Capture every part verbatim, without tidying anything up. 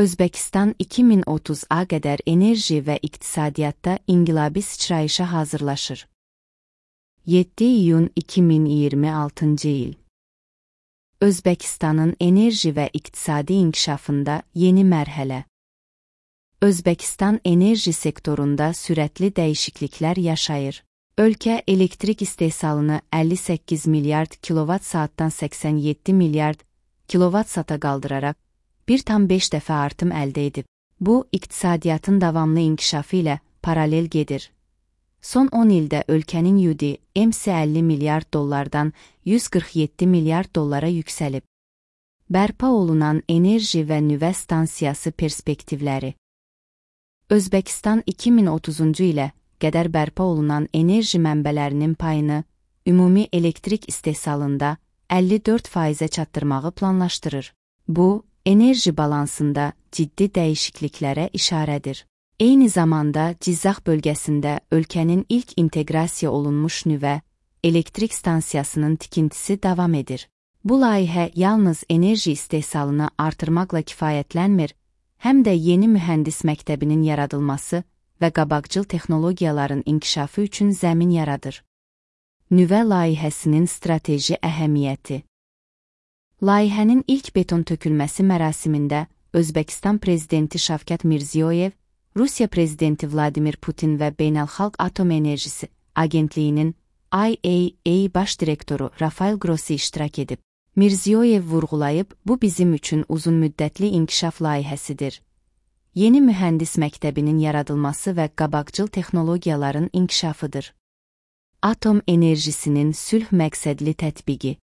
Özbəkistan iki min otuz'a qədər enerji və iqtisadiyyatda inqilabi sıçrayışa hazırlaşır. yeddi iyun iki min iyirmi altıncı il. Özbəkistanın enerji və iqtisadi inkişafında yeni mərhələ. Özbəkistan enerji sektorunda sürətli dəyişikliklər yaşayır. Ölkə elektrik istehsalını əlli səkkiz milyard kilovat saatdan səksən yeddi milyard kilovat saata qaldıraraq bir tam beş dəfə artım əldə edib. Bu, iqtisadiyyatın davamlı inkişafı ilə paralel gedir. Son on ildə ölkənin Y U D M-si əlli milyard dollardan yüz qırx yeddi milyard dollara yüksəlib. Bərpa olunan enerji və nüvə stansiyası perspektivləri. Özbəkistan iki min otuzuncu ilə qədər bərpa olunan enerji mənbələrinin payını ümumi elektrik istehsalında əlli dörd faizə çatdırmağı planlaşdırır. Bu, enerji balansında ciddi dəyişikliklərə işarədir. Eyni zamanda Cizzax bölgəsində ölkənin ilk inteqrasiya olunmuş nüvə elektrik stansiyasının tikintisi davam edir. Bu layihə yalnız enerji istehsalını artırmaqla kifayətlənmir, həm də yeni mühəndis məktəbinin yaradılması və qabaqcıl texnologiyaların inkişafı üçün zəmin yaradır. Nüvə layihəsinin strateji əhəmiyyəti. Layihənin ilk beton tökülməsi mərasimində Özbəkistan prezidenti Şavkat Mirziyoyev, Rusiya prezidenti Vladimir Putin və Beynəlxalq Atom Enerjisi Agentliyinin I A E A baş direktoru Rafael Grossi iştirak edib. Mirziyoyev vurğulayıb, bu bizim üçün uzunmüddətli inkişaf layihəsidir. Yeni mühəndis məktəbinin yaradılması və qabaqcıl texnologiyaların inkişafıdır. Atom enerjisinin sülh məqsədli tətbiqi.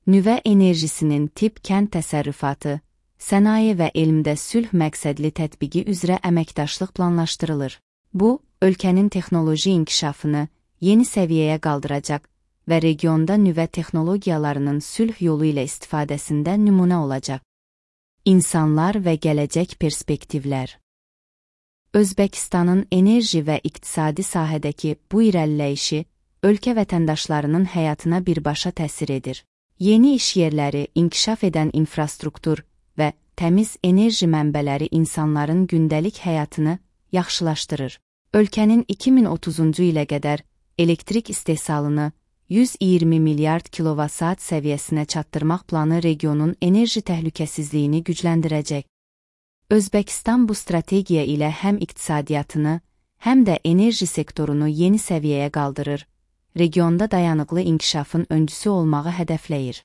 Nüvə enerjisinin tip kənd təsərrüfatı, sənaye və elmdə sülh məqsədli tətbiqi üzrə əməkdaşlıq planlaşdırılır. Bu, ölkənin texnoloji inkişafını yeni səviyyəyə qaldıracaq və regionda nüvə texnologiyalarının sülh yolu ilə istifadəsində nümunə olacaq. İnsanlar və gələcək perspektivlər. Özbəkistanın enerji və iqtisadi sahədəki bu irəliləyişi ölkə vətəndaşlarının həyatına birbaşa təsir edir. Yeni iş yerləri, inkişaf edən infrastruktur və təmiz enerji mənbələri insanların gündəlik həyatını yaxşılaşdırır. Ölkənin iki min otuzuncu ilə qədər elektrik istehsalını yüz iyirmi milyard kilovat-saat səviyyəsinə çatdırmaq planı regionun enerji təhlükəsizliyini gücləndirəcək. Özbəkistan bu strategiya ilə həm iqtisadiyyatını, həm də enerji sektorunu yeni səviyyəyə qaldırır, regionda dayanıqlı inkişafın öncüsü olmağı hədəfləyir.